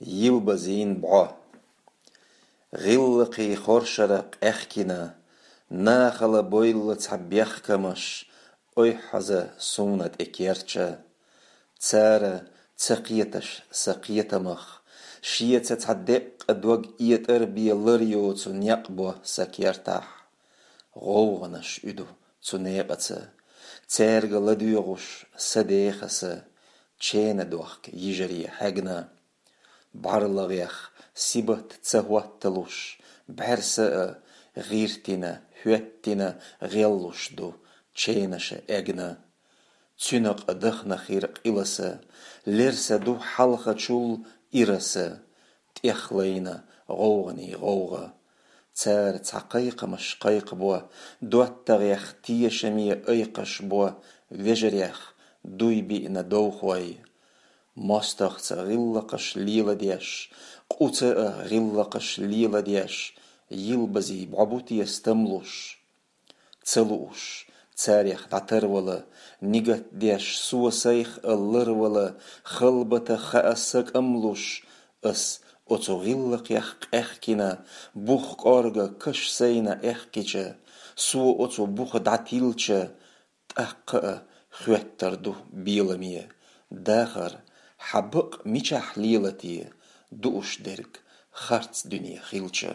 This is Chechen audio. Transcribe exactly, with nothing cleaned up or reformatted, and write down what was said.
Йилбазийн бӀо. ГӀиллакхий хоршара къаьхкина, нахала бойла цхьа бехкамаш, ойхьаза суна тӀекерча. Цара ца кхеташ са кхетамах, шеца цхьа деккъа дог этӀар бе лар йоцу некъ бо са кертахь. ГӀовгӀанаш уьду цу некъаца, цаьрга ладоьгӀуш са дехаса, чена дохка йижаре хьегна. БӀарлагӀех сибат ца хӀотталуш, бӀаьрса а гӀиртина, хӀоьттина гӀеллуш ду ченаша эгна. Цуьнакъа дахна хир къиласа, лерса ду хьалхачул ираса, тӀехлайна гӀовгӀаний гӀовгӀа. Цара цхьа кхайкхамаш кхайкхабо, доттагӀех тешаме айкхаш бо, вежарех дуй биъна довхой. МостагӀца гӀиллакхаш леладеш, къуца а гӀиллакхаш леладеш, йилбазий бӀо бу те стамлуш? Ца лууш, царех дӀатарвала, нигат деш, со сайх а ларвала, халбата хаа са кӀамлуш, ас оцу гӀиллакхех къаьхкина, бух кӀорга каш сайна аьхкича, со оцу буха дӀатилча, тӀаккха а хоьттар ду беламе, дахар хьан бакъ мичахь лела те, дууш дерг харц дуьне хилча.